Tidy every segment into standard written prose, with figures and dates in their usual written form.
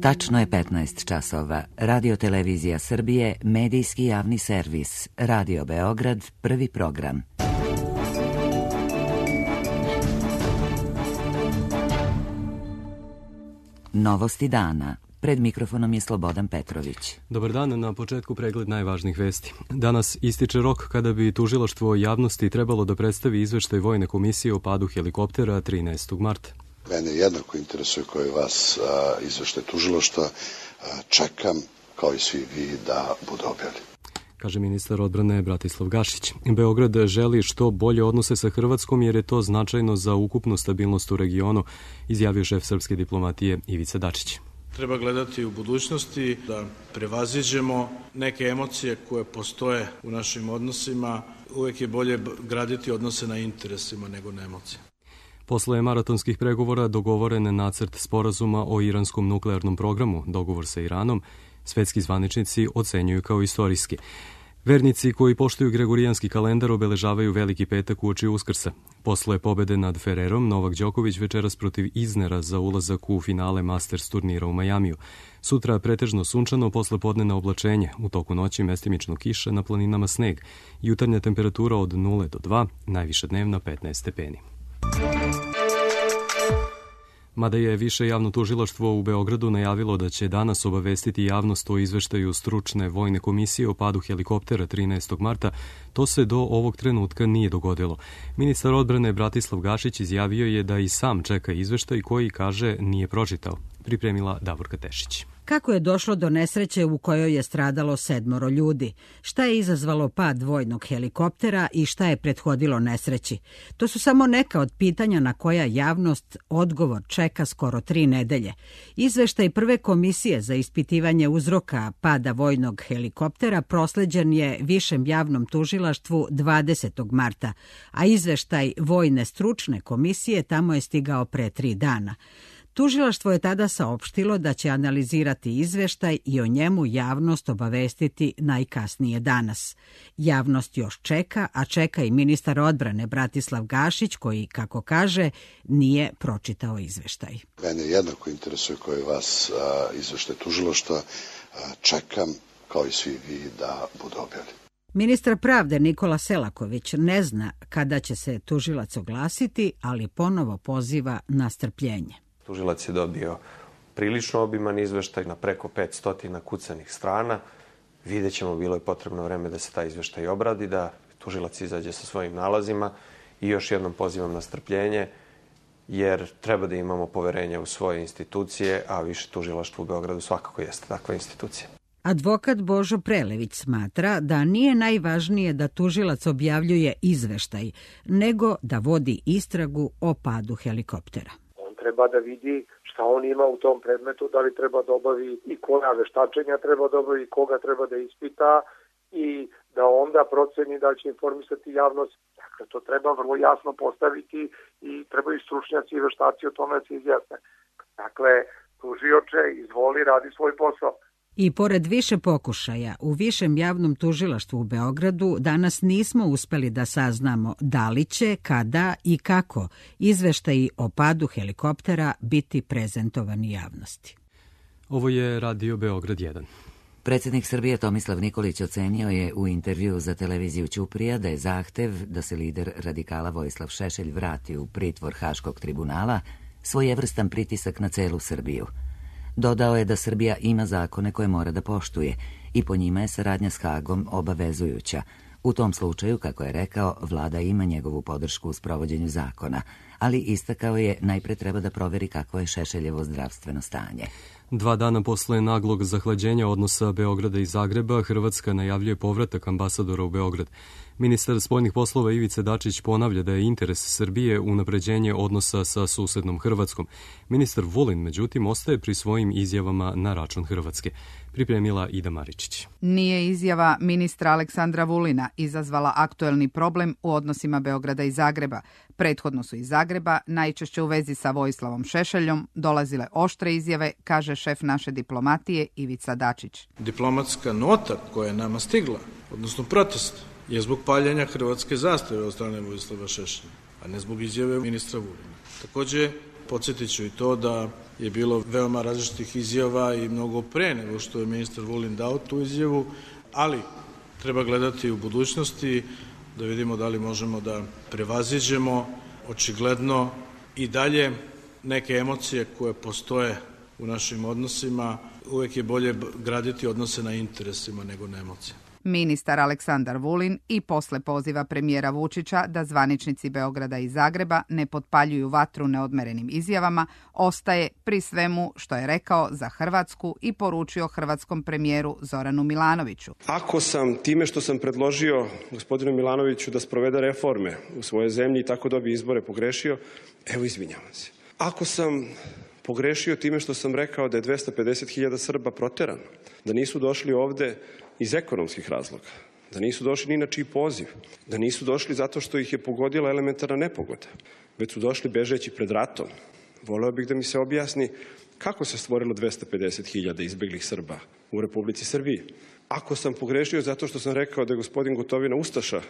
Tačno je 15 časova. Radio-televizija Srbije, medijski javni servis. Radio Beograd, prvi program. Novosti dana. Pred mikrofonom je Slobodan Petrović. Dobar dan, na početku pregled najvažnijih vesti. Danas ističe rok kada bi tužilaštvo javnosti trebalo da predstavi izveštaj Vojne komisije o padu helikoptera 13. marta. Mene jednako interesuje kao i vas izveštaj tužilaštva. Čekam, kao i svi vi, da bude objavljen, kaže ministar odbrane Bratislav Gašić. Beograd želi što bolje odnose sa Hrvatskom jer je to značajno za ukupnu stabilnost u regionu, izjavio šef srpske diplomatije Ivica Dačić. Treba gledati u budućnosti da prevaziđemo neke emocije koje postoje u našim odnosima. Uvek je bolje graditi odnose na interesima nego na emocije. Posle maratonskih pregovora dogovoren nacrt sporazuma o iranskom nuklearnom programu, dogovor sa Iranom, svetski zvaničnici ocenjuju kao istorijski. Vernici koji poštuju gregorijanski kalendar obeležavaju Veliki petak uoči Uskrsa. Posle pobede nad Ferrerom, Novak Đoković večeras protiv Iznera za ulazak u finale Masters turnira u Majamiju. Sutra pretežno sunčano, posle podnevna oblačenje, u toku noći mestimično kiša, na planinama sneg. Jutarnja temperatura od 0 do 2, najviša dnevna 15 stepeni. Mada je više javno tužilaštvo u Beogradu najavilo da će danas obavestiti javnost o izveštaju stručne vojne komisije o padu helikoptera 13. marta, to se do ovog trenutka nije dogodilo. Ministar odbrane Bratislav Gašić izjavio je da i sam čeka izveštaj koji, kaže, nije pročitao. Pripremila Davorka Tešić. Kako je došlo do nesreće u kojoj je stradalo 7 ljudi? Šta je izazvalo pad vojnog helikoptera i šta je prethodilo nesreći? To su samo neka od pitanja na koja javnost odgovor čeka skoro 3 nedelje. Izveštaj prve komisije za ispitivanje uzroka pada vojnog helikoptera prosleđen je Višem javnom tužilaštvu 20. marta, a izveštaj vojne stručne komisije tamo je stigao pre 3 dana. Tužilaštvo je tada saopštilo da će analizirati izveštaj i o njemu javnost obavestiti najkasnije danas. Javnost još čeka, a čeka i ministar odbrane Bratislav Gašić koji, kako kaže, nije pročitao izveštaj. Mene jednako interesuje kao i vas izveštaj tužilaštva. Čekam, kao i svi vi, da bude objavljen. Ministar pravde Nikola Selaković ne zna kada će se tužilac oglasiti, ali ponovo poziva na strpljenje. Tužilac je dobio prilično obiman izveštaj na preko 500 kucanih strana. Vidjet ćemo, bilo je potrebno vreme da se taj izveštaj obradi, da tužilac izađe sa svojim nalazima i još jednom pozivam na strpljenje, jer treba da imamo poverenje u svoje institucije, a više tužilaštvo u Beogradu svakako jeste takva institucija. Advokat Božo Prelević smatra da nije najvažnije da tužilac objavljuje izveštaj, nego da vodi istragu o padu helikoptera. Treba da vidi šta on ima u tom predmetu, da li treba da obavi i koja veštačenja treba da obavi, koga treba da ispita i da onda proceni da će informisati javnost. Dakle, to treba vrlo jasno postaviti i trebaju stručnjaci i veštaci o tome da se izjasne. Dakle, tužioče, izvoli, radi svoj posao. I pored više pokušaja, u Višem javnom tužilaštvu u Beogradu danas nismo uspeli da saznamo da li će, kada i kako izveštaji o padu helikoptera biti prezentovani javnosti. Ovo je Radio Beograd 1. Predsjednik Srbije Tomislav Nikolić ocenio je u intervjuu za televiziju Ćuprija da je zahtev da se lider radikala Vojislav Šešelj vrati u pritvor Haškog tribunala svojevrstan pritisak na celu Srbiju. Dodao je da Srbija ima zakone koje mora da poštuje i po njima je saradnja s Hagom obavezujuća. U tom slučaju, kako je rekao, vlada ima njegovu podršku u sprovođenju zakona, ali istakao je najpre treba da proveri kakvo je Šešeljevo zdravstveno stanje. 2 dana posle naglog zahlađenja odnosa Beograda i Zagreba, Hrvatska najavljuje povratak ambasadora u Beograd. Ministar spoljnih poslova Ivica Dačić ponavlja da je interes Srbije unapređenje odnosa sa susednom Hrvatskom. Ministar Vulin, međutim, ostaje pri svojim izjavama na račun Hrvatske. Pripremila Ida Maričić. Nije izjava ministra Aleksandra Vulina izazvala aktuelni problem u odnosima Beograda i Zagreba. Prethodno su iz Zagreba, najčešće u vezi sa Vojislavom Šešeljom, dolazile oštre izjave, kaže šef naše diplomatije Ivica Dačić. Diplomatska nota koja je nama stigla, odnosno protest, je zbog paljenja hrvatske zastave od strane Vojislava Šešelja, a ne zbog izjave ministra Vulina. Takođe, Podsjetit ću i to da je bilo veoma različitih izjava i mnogo pre nego što je ministar Vulin dao tu izjavu, ali treba gledati u budućnosti da vidimo da li možemo da prevaziđemo očigledno i dalje neke emocije koje postoje u našim odnosima. Uvek je bolje graditi odnose na interesima nego na emocijama. Ministar Aleksandar Vulin i posle poziva premijera Vučića da zvaničnici Beograda i Zagreba ne potpaljuju vatru neodmerenim izjavama, ostaje pri svemu što je rekao za Hrvatsku i poručio hrvatskom premijeru Zoranu Milanoviću. Ako sam time što sam predložio gospodinu Milanoviću da sprovede reforme u svojoj zemlji i tako dobije izbore pogrešio, evo izvinjavam se. Ako sam pogrešio time što sam rekao da je 250.000 Srba proterano, da nisu došli ovde iz ekonomskih razloga, da nisu došli ni na čiji poziv, da nisu došli zato što ih je pogodila elementarna nepogoda, već su došli bežeći pred ratom. Voleo bih da mi se objasni kako se stvorilo 250.000 izbeglih Srba u Republici Srbiji. Ako sam pogrešio zato što sam rekao da je gospodin Gotovina ustaša,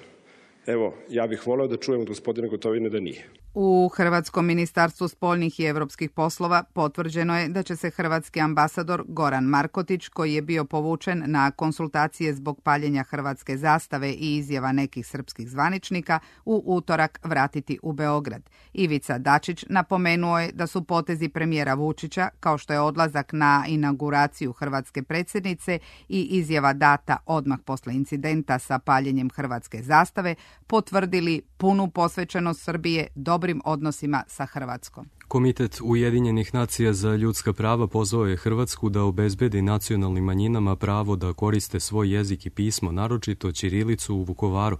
evo, ja bih voleo da čujem od gospodina Gotovine da nije. U Hrvatskom ministarstvu spoljnih i evropskih poslova potvrđeno je da će se hrvatski ambasador Goran Markotić, koji je bio povučen na konsultacije zbog paljenja hrvatske zastave i izjava nekih srpskih zvaničnika, u utorak vratiti u Beograd. Ivica Dačić napomenuo je da su potezi premijera Vučića, kao što je odlazak na inauguraciju hrvatske predsjednice i izjava data odmah posle incidenta sa paljenjem hrvatske zastave, potvrdili punu posvećenost Srbije dobrim odnosima sa Hrvatskom. Komitet Ujedinjenih nacija za ljudska prava pozvao je Hrvatsku da obezbedi nacionalnim manjinama pravo da koriste svoj jezik i pismo, naročito ćirilicu u Vukovaru,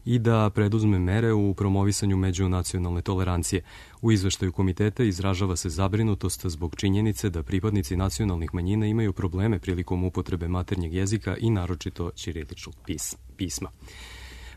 i da preduzme mere u promovisanju međunacionalne tolerancije. U izveštaju komiteta izražava se zabrinutost zbog činjenice da pripadnici nacionalnih manjina imaju probleme prilikom upotrebe maternjeg jezika i naročito ćiriličnog pisma.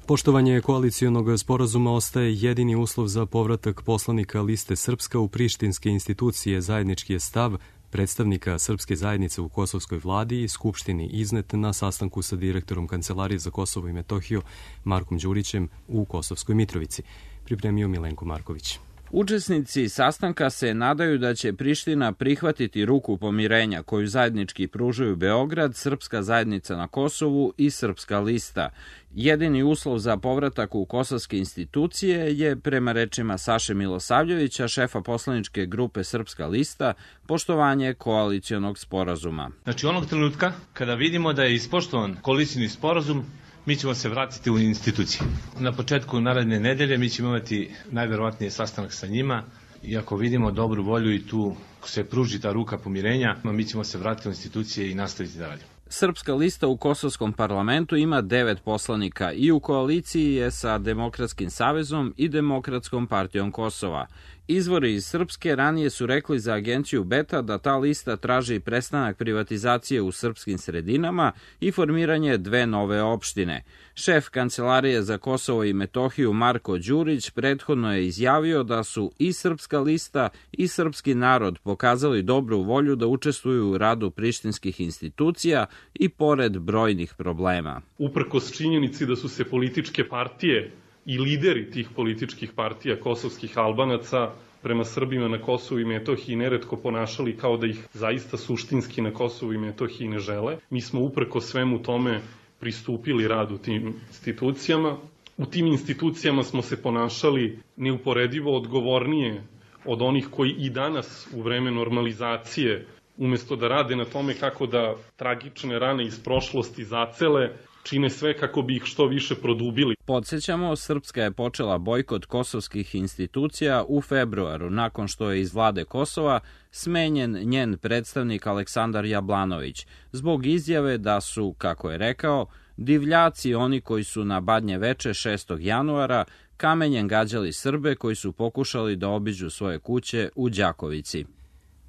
Poštovanje koalicijonog sporazuma ostaje jedini uslov za povratak poslanika liste Srpska u prištinske institucije. Zajednički je stav predstavnika srpske zajednice u kosovskoj vladi i skupštini iznet na sastanku sa direktorom Kancelarije za Kosovo i Metohiju Markom Đurićem u Kosovskoj Mitrovici. Pripremio Milenko Marković. Učesnici sastanka se nadaju da će Priština prihvatiti ruku pomirenja koju zajednički pružaju Beograd, Srpska zajednica na Kosovu i Srpska lista. Jedini uslov za povratak u kosovske institucije je, prema rečima Saše Milosavljevića, šefa poslaničke grupe Srpska lista, poštovanje koalicijonog sporazuma. Znači, onog trenutka kada vidimo da je ispoštovan koalicijni sporazum, mi ćemo se vratiti u institucije. Na početku naredne nedelje mi ćemo imati najverovatnije sastanak sa njima i ako vidimo dobru volju i tu se pruži ta ruka pomirenja, mi ćemo se vratiti u institucije i nastaviti da radimo. Srpska lista u Kosovskom parlamentu ima 9 poslanika i u koaliciji je sa Demokratskim savezom i Demokratskom partijom Kosova. Izvori iz Srpske ranije su rekli za agenciju Beta da ta lista traži prestanak privatizacije u srpskim sredinama i formiranje 2 nove opštine. Šef Kancelarije za Kosovo i Metohiju Marko Đurić prethodno je izjavio da su i Srpska lista i srpski narod pokazali dobru volju da učestvuju u radu prištinskih institucija i pored brojnih problema. Uprkos činjenici da su se političke partije i lideri tih političkih partija kosovskih Albanaca prema Srbima na Kosovu i Metohiji neretko ponašali kao da ih zaista suštinski na Kosovu i Metohiji ne žele. Mi smo uprkos svemu tome pristupili radu tim institucijama. U tim institucijama smo se ponašali neuporedivo odgovornije od onih koji i danas u vreme normalizacije, umesto da rade na tome kako da tragične rane iz prošlosti zacele, čine sve kako bi ih što više produbili. Podsjećamo, Srpska je počela bojkot kosovskih institucija u februaru, nakon što je iz vlade Kosova smenjen njen predstavnik Aleksandar Jablanović, zbog izjave da su, kako je rekao, divljaci oni koji su na Badnje veče 6. januara kamenjem gađali Srbe koji su pokušali da obiđu svoje kuće u Đakovici.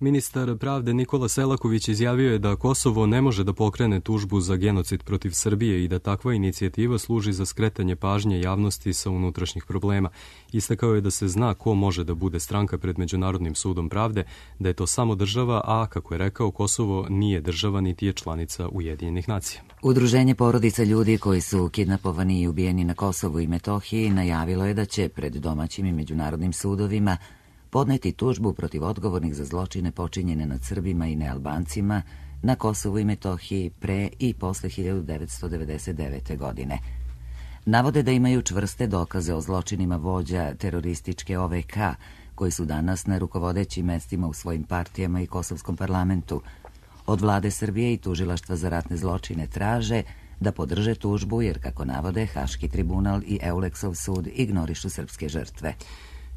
Ministar pravde Nikola Selaković izjavio je da Kosovo ne može da pokrene tužbu za genocid protiv Srbije i da takva inicijativa služi za skretanje pažnje javnosti sa unutrašnjih problema. Istakao je da se zna ko može da bude stranka pred Međunarodnim sudom pravde, da je to samo država, a, kako je rekao, Kosovo nije država niti je članica Ujedinjenih nacija. Udruženje porodica ljudi koji su kidnapovani i ubijeni na Kosovu i Metohiji najavilo je da će pred domaćim i međunarodnim sudovima podneti tužbu protiv odgovornih za zločine počinjene nad Srbima i nealbancima na Kosovu i Metohiji pre i posle 1999. godine. Navode da imaju čvrste dokaze o zločinima vođa terorističke OVK, koji su danas na rukovodećim mestima u svojim partijama i kosovskom parlamentu. Od vlade Srbije i Tužilaštva za ratne zločine traže da podrže tužbu jer, kako navode, Haški tribunal i Euleksov sud ignorišu srpske žrtve.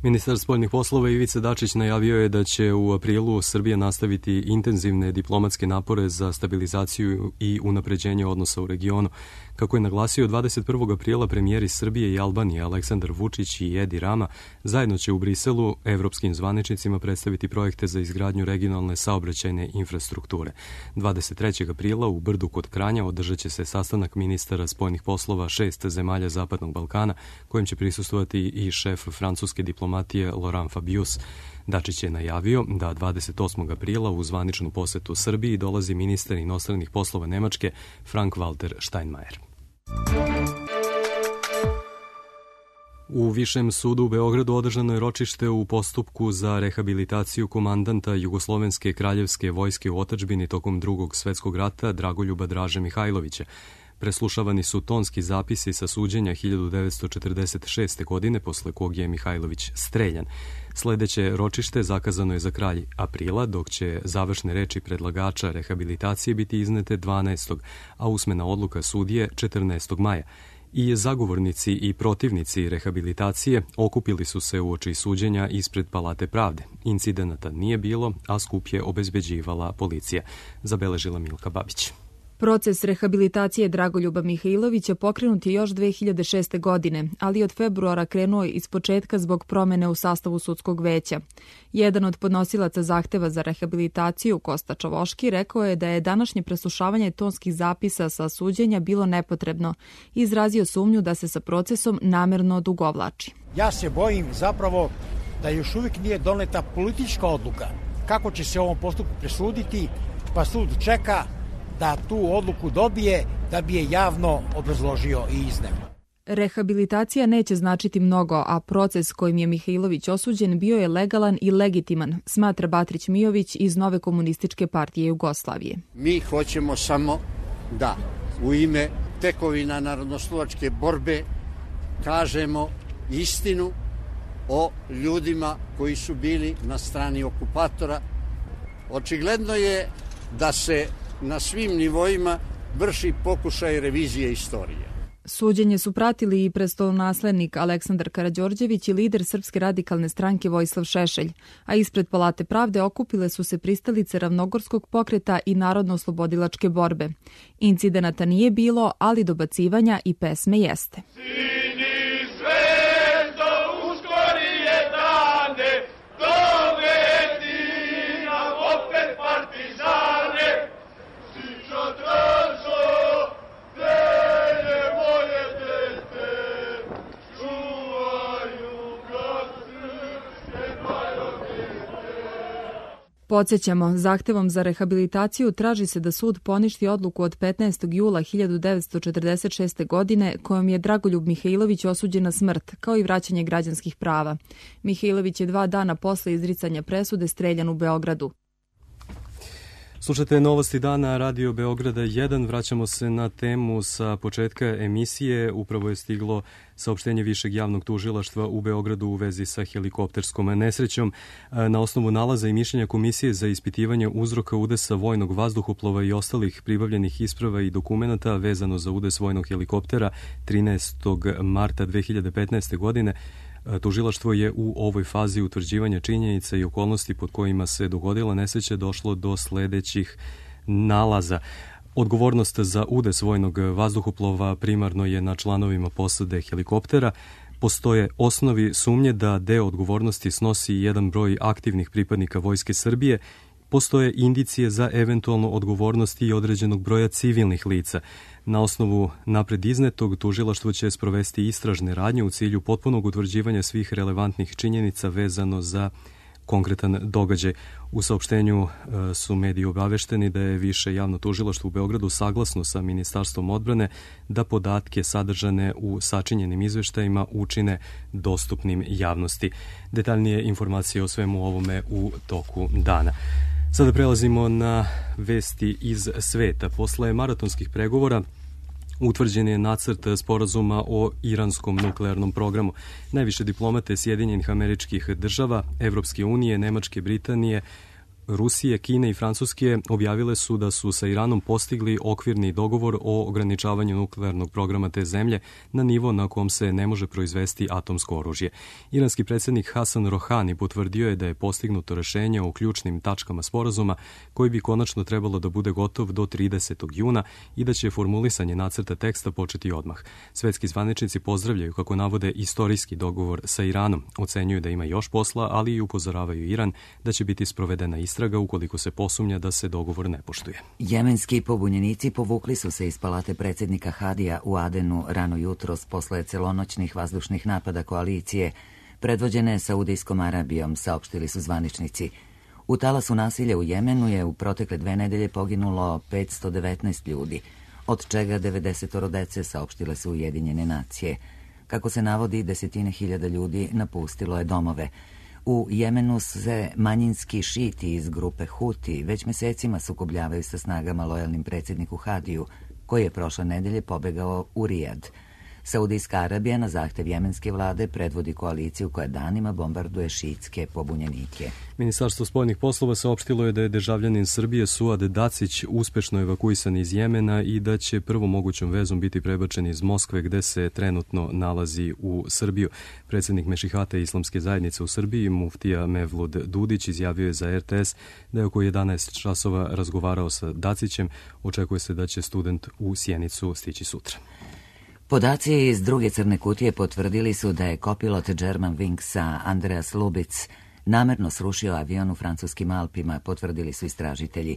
Ministar spoljnih poslova Ivica Dačić najavio je da će u aprilu Srbija nastaviti intenzivne diplomatske napore za stabilizaciju i unapređenje odnosa u regionu. Kako je naglasio, 21. aprila premijeri Srbije i Albanije Aleksandar Vučić i Edi Rama zajedno će u Briselu evropskim zvaničnicima predstaviti projekte za izgradnju regionalne saobraćajne infrastrukture. 23. aprila u Brdu kod Kranja održat će se sastanak ministara spoljnih poslova 6 zemalja Zapadnog Balkana, kojim će prisustvovati i šef francuske diplomatije Laurent Fabius. Dačić je najavio da 28. aprila u zvaničnu posetu Srbiji dolazi ministar inostranih poslova Nemačke Frank-Walter Steinmeier. U Višem sudu u Beogradu održano je ročište u postupku za rehabilitaciju komandanta Jugoslovenske kraljevske vojske u otadžbini tokom Drugog svetskog rata Dragoljuba Draže Mihajlovića. Preslušavani su tonski zapisi sa suđenja 1946. godine, posle kog je Mihajlović streljan. Sledeće ročište zakazano je za kraj aprila, dok će završne reči predlagača rehabilitacije biti iznete 12. a usmena odluka sudije 14. maja. I zagovornici i protivnici rehabilitacije okupili su se uoči suđenja ispred Palate pravde. Incidenata nije bilo, a skup je obezbeđivala policija, zabeležila Milka Babić. Proces rehabilitacije Dragoljuba Mihajlovića pokrenut je još 2006. godine, ali od februara krenuo iz početka zbog promene u sastavu sudskog veća. Jedan od podnosilaca zahteva za rehabilitaciju, Kosta Čavoški, rekao je da je današnje preslušavanje tonskih zapisa sa suđenja bilo nepotrebno i izrazio sumnju da se sa procesom namerno odugovlači. Ja se bojim zapravo da još uvijek nije doneta politička odluka kako će se ovom postupku presuditi, pa sud čeka da tu odluku dobije da bi je javno obrazložio i izneo. Rehabilitacija neće značiti mnogo, a proces kojim je Mihajlović osuđen bio je legalan i legitiman, smatra Batrić Mijović iz Nove komunističke partije Jugoslavije. Mi hoćemo samo da u ime tekovina narodnoslovačke borbe kažemo istinu o ljudima koji su bili na strani okupatora. Očigledno je da se na svim nivoima vrši pokušaj revizije istorije. Suđenje su pratili i prestolonaslednik Aleksandar Karađorđević i lider Srpske radikalne stranke Vojislav Šešelj, a ispred Palate pravde okupile su se pristalice Ravnogorskog pokreta i Narodno-oslobodilačke borbe. Incidenata nije bilo, ali dobacivanja i pesme jeste. Podsjećamo, zahtevom za rehabilitaciju traži se da sud poništi odluku od 15. jula 1946. godine kojom je Dragoljub Mihajlović osuđen na smrt, kao i vraćanje građanskih prava. Mihajlović je 2 dana posle izricanja presude streljan u Beogradu. Slušate novosti dana Radio Beograda 1. Vraćamo se na temu sa početka emisije. Upravo je stiglo saopštenje Višeg javnog tužilaštva u Beogradu u vezi sa helikopterskom nesrećom. Na osnovu nalaza i mišljenja Komisije za ispitivanje uzroka udesa vojnog vazduhoplova i ostalih pribavljenih isprava i dokumenata vezano za udes vojnog helikoptera 13. marta 2015. godine, tužilaštvo je u ovoj fazi utvrđivanja činjenica i okolnosti pod kojima se dogodila nesreća došlo do sledećih nalaza. Odgovornost za udes vojnog vazduhoplova primarno je na članovima posade helikoptera. Postoje osnovi sumnje da deo odgovornosti snosi jedan broj aktivnih pripadnika Vojske Srbije. Postoje indicije za eventualnu odgovornost i određenog broja civilnih lica. Na osnovu napred iznetog, tužilaštvo će sprovesti istražne radnje u cilju potpunog utvrđivanja svih relevantnih činjenica vezano za konkretan događaj. U saopštenju su mediji obavešteni da je Više javno tužilaštvo u Beogradu saglasno sa Ministarstvom odbrane da podatke sadržane u sačinjenim izveštajima učine dostupnim javnosti. Detaljnije informacije o svemu ovome u toku dana. Sada prelazimo na vesti iz sveta. Posle maratonskih pregovora utvrđen je nacrt sporazuma o iranskom nuklearnom programu. Najviše diplomate Sjedinjenih Američkih Država, Evropske unije, Nemačke, Britanije, Rusije, Kine i Francuske objavile su da su sa Iranom postigli okvirni dogovor o ograničavanju nuklearnog programa te zemlje na nivo na kom se ne može proizvesti atomsko oružje. Iranski predsjednik Hasan Rohani potvrdio je da je postignuto rešenje o ključnim tačkama sporazuma koji bi konačno trebalo da bude gotov do 30. juna i da će formulisanje nacrta teksta početi odmah. Svetski zvaničnici pozdravljaju, kako navode, istorijski dogovor sa Iranom. Ocenjuju da ima još posla, ali i upozoravaju Iran da će biti sprovedena istraga ukoliko se posumnja da se dogovor ne poštuje. Jemenski pobunjenici povukli su se iz palate predsjednika Hadija u Adenu rano jutros posle celonoćnih vazdušnih napada koalicije, predvođene Saudijskom Arabijom, saopštili su zvaničnici. U talasu nasilja u Jemenu je u protekle 2 nedelje poginulo 519 ljudi, od čega 90 dece, saopštile su Ujedinjene nacije. Kako se navodi, desetine hiljada ljudi napustilo je domove. U Jemenu se manjinski šiti iz grupe Huti već mesecima sukobljavaju sa snagama lojalnim predsjedniku Hadiju, koji je prošle nedelje pobegao u Rijad. Saudijska Arabija na zahtev jemenske vlade predvodi koaliciju koja danima bombarduje šiitske pobunjenike. Ministarstvo spoljnih poslova saopštilo je da je državljanin Srbije Suad Dacić uspešno evakuisan iz Jemena i da će prvom mogućom vezom biti prebačen iz Moskve, gde se trenutno nalazi u Srbiju. Predsjednik Mešihate Islamske zajednice u Srbiji, muftija Mevlud Dudić, izjavio je za RTS da je oko 11 časova razgovarao sa Dacićem. Očekuje se da će student u Sjenicu stići sutra. Podaci iz druge crne kutije potvrdili su da je kopilot Germanwingsa Andreas Lubitz namerno srušio avion u francuskim Alpima, potvrdili su istražitelji.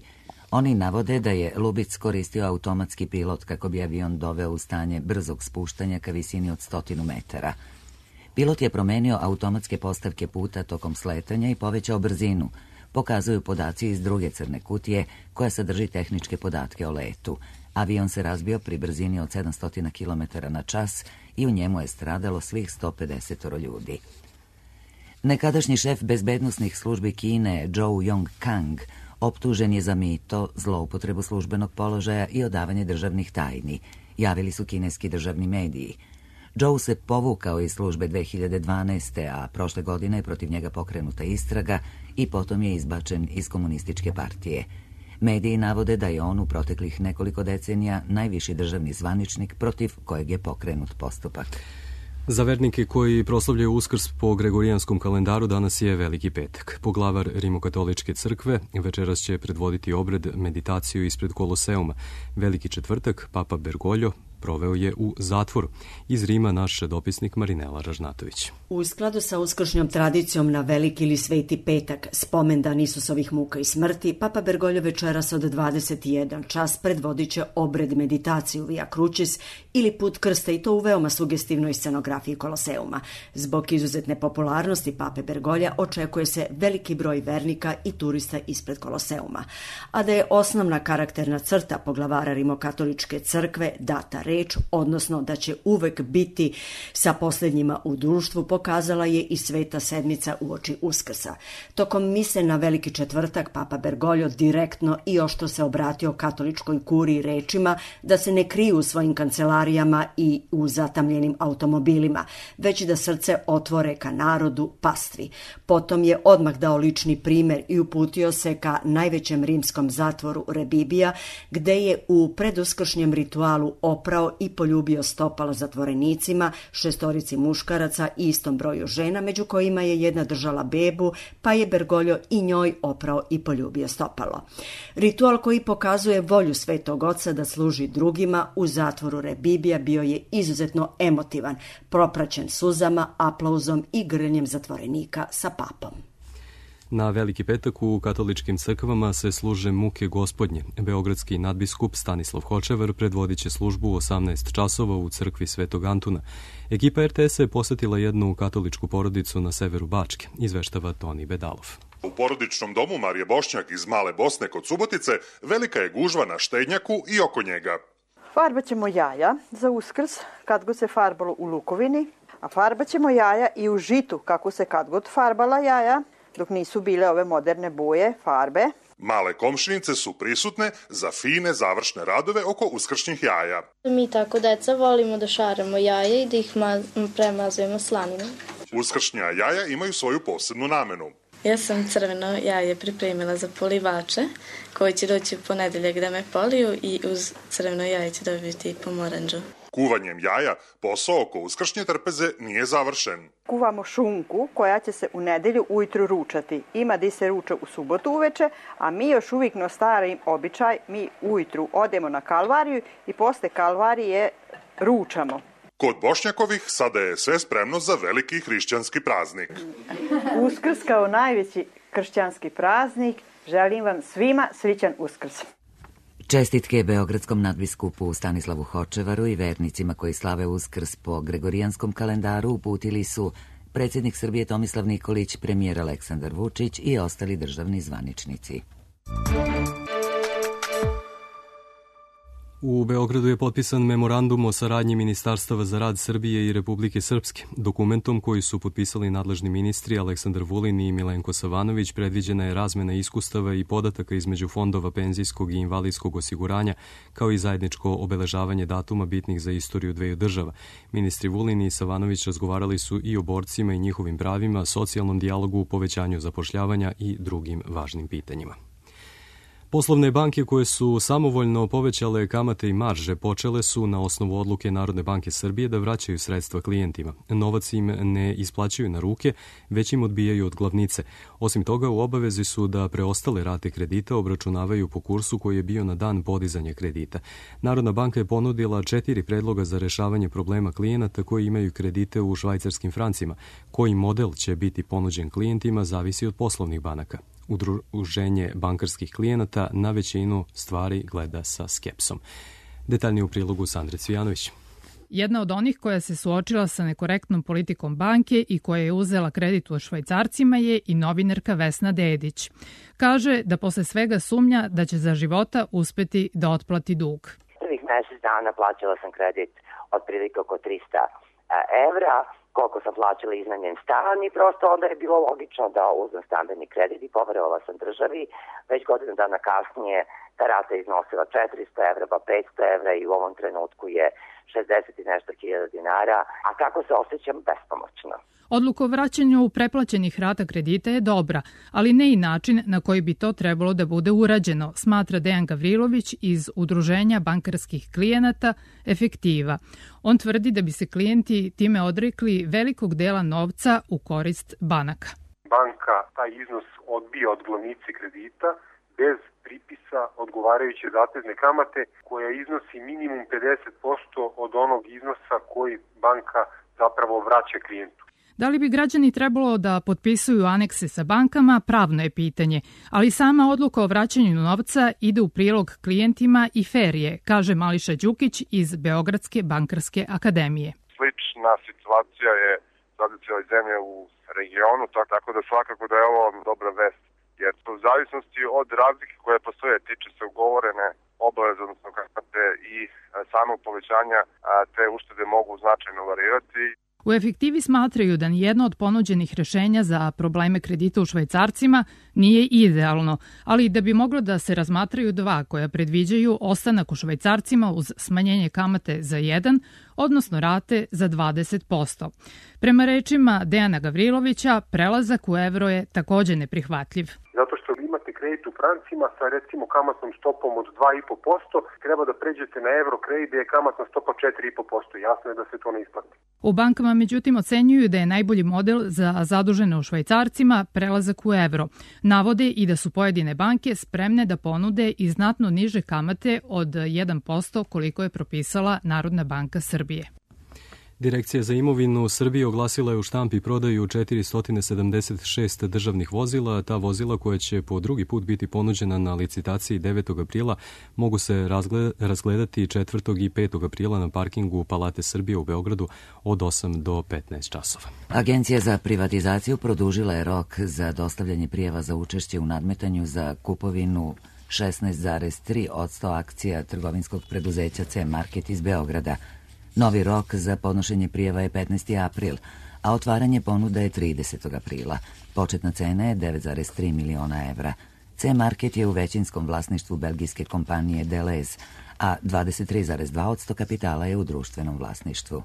Oni navode da je Lubitz koristio automatski pilot kako bi avion doveo u stanje brzog spuštanja ka visini od 100 metara. Pilot je promenio automatske postavke puta tokom sletanja i povećao brzinu, pokazuju podaci iz druge crne kutije koja sadrži tehničke podatke o letu. Avion se razbio pri brzini od 700 km na čas i u njemu je stradalo svih 150 ljudi. Nekadašnji šef bezbednosnih službi Kine, Zhou Yongkang, optužen je za mito, zloupotrebu službenog položaja i odavanje državnih tajni, javili su kineski državni mediji. Zhou se povukao iz službe 2012. a prošle godine je protiv njega pokrenuta istraga i potom je izbačen iz komunističke partije. Mediji navode da je on u proteklih nekoliko decenija najviši državni zvaničnik protiv kojeg je pokrenut postupak. Za vernike koji proslavljaju Uskrs po Gregorijanskom kalendaru danas je Veliki petak. Poglavar Rimokatoličke crkve večeras će predvoditi obred meditaciju ispred Koloseuma. Veliki četvrtak Papa Bergoglio proveo je u zatvoru. Iz Rima naš dopisnik Marinela Ražnatović. U skladu sa uskršnjom tradicijom na Veliki ili Sveti petak, spomendan Isusovih muka i smrti, Papa Bergoglio večeras od 21 čas predvodit će obred meditaciju Via Crucis ili put krsta, i to u veoma sugestivnoj scenografiji Koloseuma. Zbog izuzetne popularnosti Pape Bergoglja očekuje se veliki broj vernika i turista ispred Koloseuma. A da je osnovna karakterna crta poglavara Rimokatoličke crkve data reč, odnosno da će uvek biti sa posljednjima u društvu, pokazala je i Sveta sedmica uoči Uskrsa. Tokom mise na Veliki četvrtak Papa Bergoglio direktno i oštro se obratio katoličkoj kuriji rečima da se ne kriju u svojim kancelarijama i u zatamljenim automobilima, već da srce otvore ka narodu, pastvi. Potom je odmah dao lični primer i uputio se ka najvećem rimskom zatvoru Rebibija, gde je u preduskršnjem ritualu oprao i poljubio stopala zatvorenicima, 6 muškaraca i istom broju žena, među kojima je jedna držala bebu, pa je Bergoglio i njoj oprao i poljubio stopalo. Ritual koji pokazuje volju Svetog Oca da služi drugima u zatvoru Rebibija bio je izuzetno emotivan, propraćen suzama, aplauzom i grljenjem zatvorenika sa papom. Na Veliki petak u katoličkim crkvama se služe muke gospodnje. Beogradski nadbiskup Stanislav Hočevar predvodit će službu u 18 časova u crkvi Svetog Antuna. Ekipa RTS-a je posetila jednu katoličku porodicu na severu Bačke, izveštava Toni Bedalov. U porodičnom domu Marije Bošnjak iz Male Bosne kod Subotice velika je gužva na štednjaku i oko njega. Farbat ćemo jaja za Uskrs, kad god se farbalo u lukovini, a farbat ćemo jaja i u žitu, kako se kad god farbala jaja, dok nisu bile ove moderne boje, farbe. Male komšinice su prisutne za fine završne radove oko uskršnjih jaja. Mi tako deca volimo da šaramo jaja i da ih premazujemo slaninom. Uskršnja jaja imaju svoju posebnu namenu. Ja sam crveno jaje pripremila za polivače koji će doći u ponedeljak da me poliju i uz crveno jaje će dobiti pomoranđu. Kuvanjem jaja posao oko uskršnje trpeze nije završen. Kuvamo šunku koja će se u nedelju ujutru ručati. Ima da se ruča u subotu uveče, a mi još uvijek na stari običaj, mi ujutru odemo na kalvariju i posle kalvarije ručamo. Kod Bošnjakovih sada je sve spremno za veliki hrišćanski praznik. Uskrs kao najveći kršćanski praznik, želim vam svima srećan Uskrs. Čestitke beogradskom nadbiskupu Stanislavu Hočevaru i vernicima koji slave Uskrs po gregorijanskom kalendaru uputili su predsjednik Srbije Tomislav Nikolić, premijer Aleksandar Vučić i ostali državni zvaničnici. U Beogradu je potpisan memorandum o saradnji Ministarstava za rad Srbije i Republike Srpske. Dokumentom koji su potpisali nadležni ministri Aleksandar Vulin i Milenko Savanović predviđena je razmena iskustava i podataka između fondova penzijskog i invalidskog osiguranja, kao i zajedničko obeležavanje datuma bitnih za istoriju dveju država. Ministri Vulin i Savanović razgovarali su i o borcima i njihovim pravima, socijalnom dijalogu, povećanju zapošljavanja i drugim važnim pitanjima. Poslovne banke koje su samovoljno povećale kamate i marže počele su na osnovu odluke Narodne banke Srbije da vraćaju sredstva klijentima. Novac im ne isplaćuju na ruke, već im odbijaju od glavnice. Osim toga, u obavezi su da preostale rate kredita obračunavaju po kursu koji je bio na dan podizanja kredita. Narodna banka je ponudila 4 predloga za rešavanje problema klijenata koji imaju kredite u švajcarskim francima. Koji model će biti ponuđen klijentima zavisi od poslovnih banaka. Udruženje bankarskih klijenata na većinu stvari gleda sa skepsom. Detaljnije u prilogu Sandre Cvijanović. Jedna od onih koja se suočila sa nekorektnom politikom banke i koja je uzela kredit u švajcarcima je i novinarka Vesna Dedić. Kaže da posle svega sumnja da će za života uspeti da otplati dug. Prvih mesec dana plaćala sam kredit otprilike oko 300 evra, koliko sam plaćala iznajmljen stan i prosto onda je bilo logično da uzmem stambeni kredit i poverovala sam državi. Već godinu dana kasnije ta rata je iznosila 400 evra, pa 500 evra i u ovom trenutku je 60 i nešto hiljada dinara, a kako se osjećam? Bespomoćno. Odluka o vraćanju preplaćenih rata kredita je dobra, ali ne i način na koji bi to trebalo da bude urađeno, smatra Dejan Gavrilović iz Udruženja bankarskih klijenata Efektiva. On tvrdi da bi se klijenti time odrekli velikog dela novca u korist banaka. Banka taj iznos odbija od glavnice kredita bez pripisa odgovarajuće zatezne kamate koja iznosi minimum 50% od onog iznosa koji banka zapravo vraća klijentu. Da li bi građani trebalo da potpisuju anekse sa bankama, pravno je pitanje, ali sama odluka o vraćanju novca ide u prilog klijentima i fer je, kaže Mališa Đukić iz Beogradske bankarske akademije. Slična situacija je sad u cijeloj zemlji u regionu, tako da svakako da je ovo dobra vest, jer u zavisnosti od razlike koje postoje tiče se ugovorene obaveze, odnosno kamate i samog povećanja, te uštede mogu značajno varirati. U Efektivi smatraju da nijedno od ponuđenih rešenja za probleme kredita u švajcarcima nije idealno, ali da bi moglo da se razmatraju dva koja predviđaju ostanak u švajcarcima uz smanjenje kamate za 1, odnosno rate za 20%. Prema rečima Dejana Gavrilovića, prelazak u evro je takođe neprihvatljiv. Zato što imate kredit u francima sa recimo kamatnom stopom od 2,5%, treba da pređete na evro kredit gde je kamatna stopa 4,5%. Jasno je da se to ne isplati. U bankama međutim ocenjuju da je najbolji model za zadužene u švajcarcima prelazak u evro. Navode i da su pojedine banke spremne da ponude i znatno niže kamate od 1% koliko je propisala Narodna banka Srbije. Direkcija za imovinu Srbije oglasila je u štampi prodaju 476 državnih vozila. Ta vozila koja će po drugi put biti ponuđena na licitaciji 9. aprila mogu se razgledati 4. i 5. aprila na parkingu Palate Srbije u Beogradu od 8 do 15 časova. Agencija za privatizaciju produžila je rok za dostavljanje prijava za učešće u nadmetanju za kupovinu 16,3% akcija trgovinskog preduzeća C-Market iz Beograda. Novi rok za podnošenje prijava je 15. april, a otvaranje ponuda je 30. aprila. Početna cena je 9,3 miliona evra. C-Market je u većinskom vlasništvu belgijske kompanije Deleuze, a 23,2% kapitala je u društvenom vlasništvu.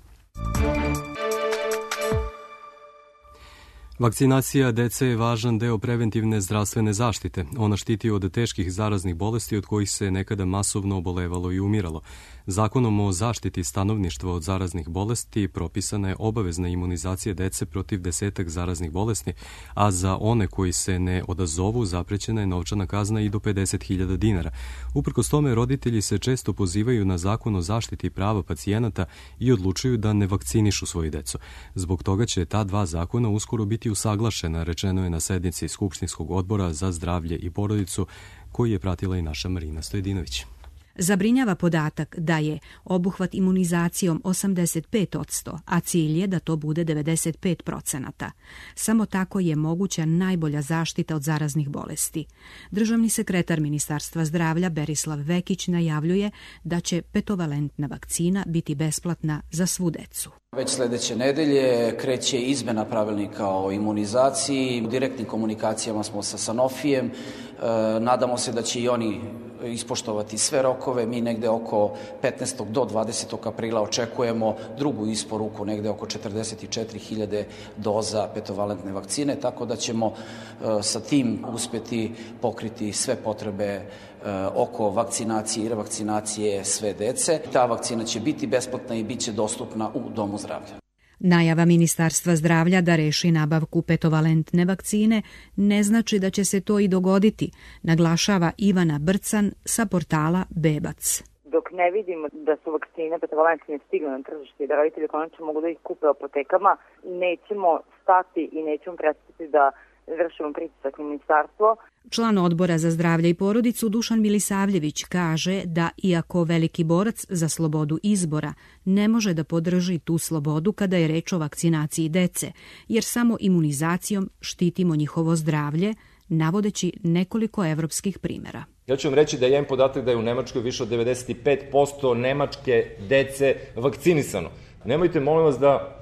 Vakcinacija dece je važan deo preventivne zdravstvene zaštite. Ona štiti od teških zaraznih bolesti od kojih se nekada masovno obolevalo i umiralo. Zakonom o zaštiti stanovništva od zaraznih bolesti propisana je obavezna imunizacija dece protiv 10 zaraznih bolesti, a za one koji se ne odazovu zaprećena je novčana kazna i do 50.000 dinara. Uprkos tome, roditelji se često pozivaju na zakon o zaštiti prava pacijenata i odlučuju da ne vakcinišu svoju decu. Zbog toga će ta dva zakona uskoro biti usaglašena, rečeno je na sednici Skupštinskog odbora za zdravlje i porodicu, koji je pratila i naša Marina Stojedinović. Zabrinjava podatak da je obuhvat imunizacijom 85%, a cilj je da to bude 95%. Samo tako je moguća najbolja zaštita od zaraznih bolesti. Državni sekretar Ministarstva zdravlja Berislav Vekić najavljuje da će petovalentna vakcina biti besplatna za svu decu. Već sledeće nedelje kreće izmena pravilnika o imunizaciji. U direktnim komunikacijama smo sa Sanofijem. Nadamo se da će i oni ispoštovati sve rokove. Mi negde oko 15. do 20. aprila očekujemo drugu isporuku, negde oko 44.000 doza petovalentne vakcine, tako da ćemo sa tim uspjeti pokriti sve potrebe oko vakcinacije i revakcinacije sve dece. Ta vakcina će biti besplatna i bit će dostupna u domu zdravlja. Najava Ministarstva zdravlja da reši nabavku petovalentne vakcine ne znači da će se to i dogoditi, naglašava Ivana Brcan sa portala Bebac. Dok ne vidimo da su vakcine petovalentne stigle na tržište i da roditelji konačno mogu da ih kupe u apotekama, nećemo stati i nećemo prestati da vršimo pritisak na ministarstvo. Član odbora za zdravlje i porodicu Dušan Milisavljević kaže da iako veliki borac za slobodu izbora ne može da podrži tu slobodu kada je reč o vakcinaciji dece, jer samo imunizacijom štitimo njihovo zdravlje, navodeći nekoliko evropskih primera. Ja ću vam reći da je jedan podatak da je u Nemačkoj više od 95% nemačke dece vakcinisano. Nemojte, molim vas, da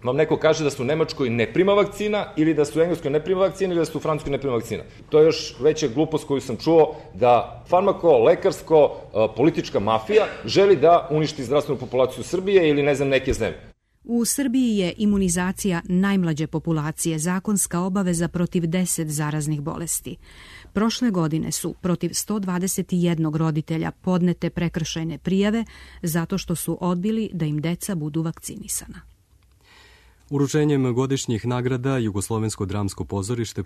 vam neko kaže da su u Nemačkoj ne prima vakcina ili da su u Engleskoj ne prima vakcina ili da su u Francuskoj ne prima vakcina. To je još veća glupost koju sam čuo, da farmako-lekarsko-politička mafija želi da uništi zdravstvenu populaciju Srbije ili ne znam neke zemlje. U Srbiji je imunizacija najmlađe populacije zakonska obaveza protiv 10 zaraznih bolesti. Prošle godine su protiv 121 roditelja podnete prekršajne prijave zato što su odbili da im deca budu vakcinisana. Uručenjem godišnjih nagrada Jugoslovensko dramsko pozorište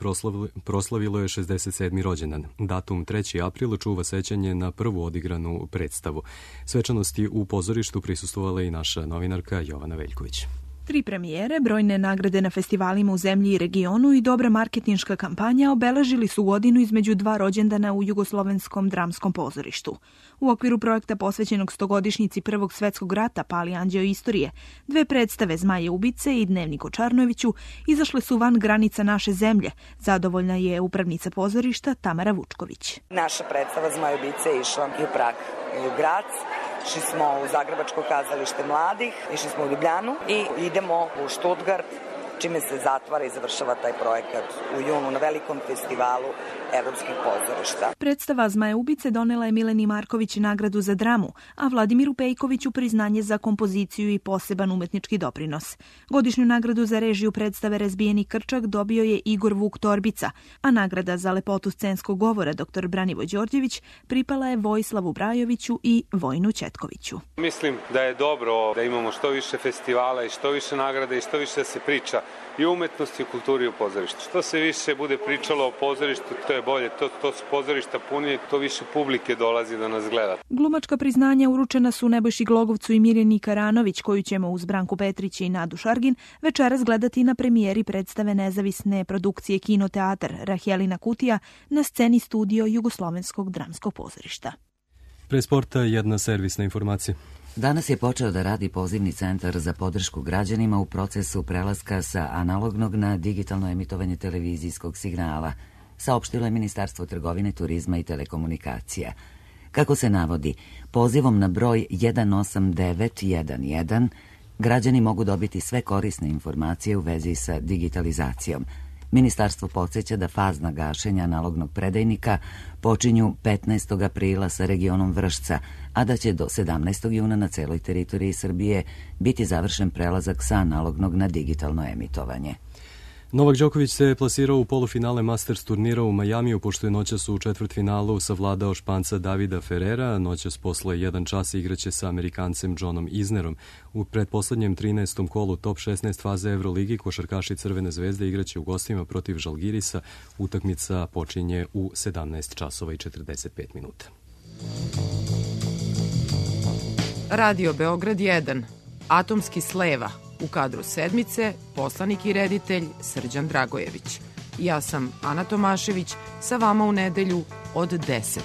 proslavilo je 67. rođendan. Datum 3. april čuva sećanje na prvu odigranu predstavu. Svečanosti u pozorištu prisustvovala i naša novinarka Jovana Veljković. 3 premijere, brojne nagrade na festivalima u zemlji i regionu i dobra marketinška kampanja obeležili su godinu između 2 rođendana u Jugoslovenskom dramskom pozorištu. U okviru projekta posvećenog 100-godišnjici Prvog svetskog rata Pali anđeo istorije, 2 predstave Zmaje ubice i Dnevnik o Čarnojeviću izašle su van granica naše zemlje. Zadovoljna je upravnica pozorišta Tamara Vučković. Naša predstava Zmaje ubice je išla i u Prag i u Grac. Išli smo u Zagrebačko kazalište mladih, išli smo u Ljubljanu i idemo u Štutgart, čime se zatvara i završava taj projekat u junu na velikom festivalu evropskih pozorišta. Predstava Zmaje ubice donela je Mileni Marković nagradu za dramu, a Vladimiru Pejkoviću priznanje za kompoziciju i poseban umetnički doprinos. Godišnju nagradu za režiju predstave Razbijeni krčak dobio je Igor Vuk Torbica, a nagrada za lepotu scenskog govora dr. Branivoj Đorđević pripala je Vojislavu Brajoviću i Vojinu Ćetkoviću. Mislim da je dobro da imamo što više festivala i što više nagrada i što više da se priča i o umetnosti, o kulturi i o pozorištu. Što se više bude pričalo o pozorištu, to je bolje. To su pozorišta puni, to više publike dolazi da nas gleda. Glumačka priznanja uručena su Nebojši Glogovcu i Mirjani Karanović, koju ćemo uz Branku Petrić i Nadu Šargin večeras gledati na premijeri predstave nezavisne produkcije Kinoteatar Rahelina Kutija na sceni studio Jugoslovenskog dramskog pozorišta. Pre sporta jedna servisna informacija. Danas je počeo da radi pozivni centar za podršku građanima u procesu prelaska sa analognog na digitalno emitovanje televizijskog signala, saopštilo je Ministarstvo trgovine, turizma i telekomunikacija. Kako se navodi, pozivom na broj 18911 građani mogu dobiti sve korisne informacije u vezi sa digitalizacijom. Ministarstvo podsjeća da fazna gašenja analognog predajnika počinju 15. aprila sa regionom Vršca, a da će do 17. juna na celoj teritoriji Srbije biti završen prelazak sa analognog na digitalno emitovanje. Novak Đoković se plasirao u polufinale Masters turnira u Majamiju, pošto je noćas u četvrtfinalu savladao Španca Davida Ferrera. Noćas posle 1 čas igraće sa Amerikancem Johnom Isnerom. U pretposlednjem 13. kolu top 16 faze Euroligi košarkaši Crvene zvezde igraće u gostima protiv Žalgirisa. Utakmica počinje u 17 časova i 45 minuta. Radio Beograd 1. Atomski sleva. U kadru sedmice poslanik i reditelj Srđan Dragojević. Ja sam Ana Tomašević, sa vama u nedelju od 10.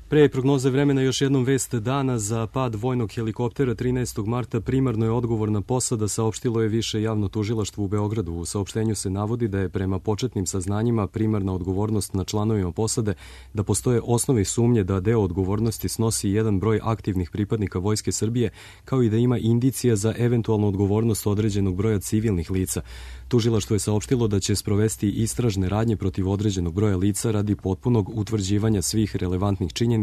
Pre prognoze vremena još jednom vest dana za pad vojnog helikoptera 13. marta primarno je odgovorna posada, saopštilo je Više javno tužilaštvo u Beogradu. U saopštenju se navodi da je prema početnim saznanjima primarna odgovornost na članovima posade, da postoje osnovi sumnje da deo odgovornosti snosi jedan broj aktivnih pripadnika Vojske Srbije, kao i da ima indicija za eventualnu odgovornost određenog broja civilnih lica. Tužilaštvo je saopštilo da će sprovesti istražne radnje protiv određenog broja lica radi potpunog utvrđivanja svih relevantnih činjenica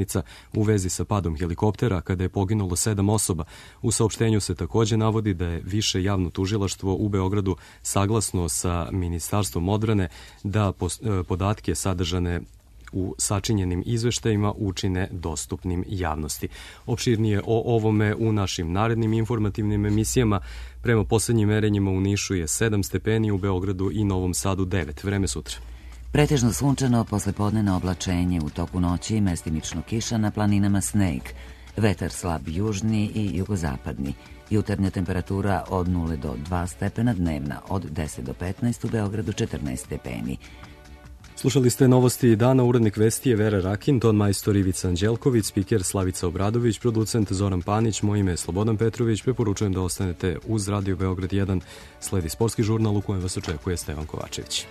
u vezi sa padom helikoptera kada je poginulo 7 osoba. U saopštenju se takođe navodi da je Više javno tužilaštvo u Beogradu saglasno sa Ministarstvom odbrane da podatke sadržane u sačinjenim izveštajima učine dostupnim javnosti. Opširnije o ovome u našim narednim informativnim emisijama. Prema poslednjim merenjima u Nišu je 7 stepeni, u Beogradu i Novom Sadu 9. Vreme sutra. Pretežno sunčano, poslepodnevno oblačenje, u toku noći mestimično kiša, na planinama sneg. Vetar slab južni i jugozapadni. Jutarnja temperatura od 0 do 2 stepena, dnevna od 10 do 15, u Beogradu 14 stepeni. Slušali ste novosti dana, urednik vesti je Vera Rakin, ton majstor Ivica Anđelković, spiker Slavica Obradović, producent Zoran Panić, moje ime je Slobodan Petrović. Preporučujem da ostanete uz Radio Beograd 1. Sledi sportski žurnal u kojem vas očekuje Stevan Kovačević.